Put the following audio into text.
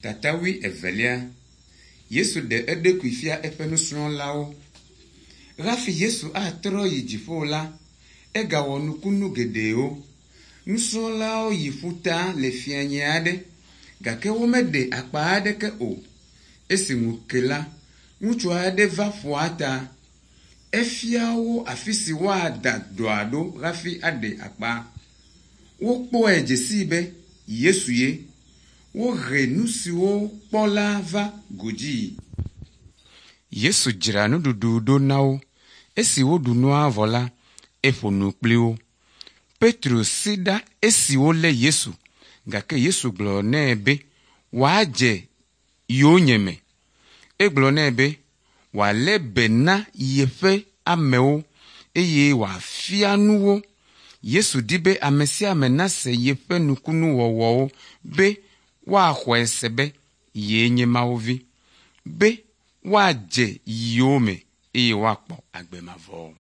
Tata wuievelia. Yesu ɖe eɖokui fia eƒe nusrɔ̃lawo. Hafi Yesu atrɔ yi dziƒo la, egawɔ nukunu geɖewo. Nusrɔ̃lawo yi ƒuta le fianye aɖe gake womeɖe akpa aɖeke o. Esi ŋu ke la, ŋutsu aɖe va ƒua ta. Efia wo afi si woada ɖɔa ɖo hafi aɖe akpa. Wokpɔe dze sii be Yesu ye. Wohe nu siwo kpɔ la va godzii. Yesu dzra nuɖuɖu ɖo na wo. Esi woɖu nua vɔ la, eƒo nu kpli wo. Petro si ɖa esi wolé Yesu gake Yesu gblɔ nɛ be wòadze yonyeme. Egblɔ nɛ be wòalé be na yeƒe amewo eye wòafia nu wo. Yesu di be ame sia ame nase yeƒe nukunuwɔwɔwo be woaxɔe se be yee nye Mawu vi, be woadze yowòme eye woakpɔ agbe mavɔ.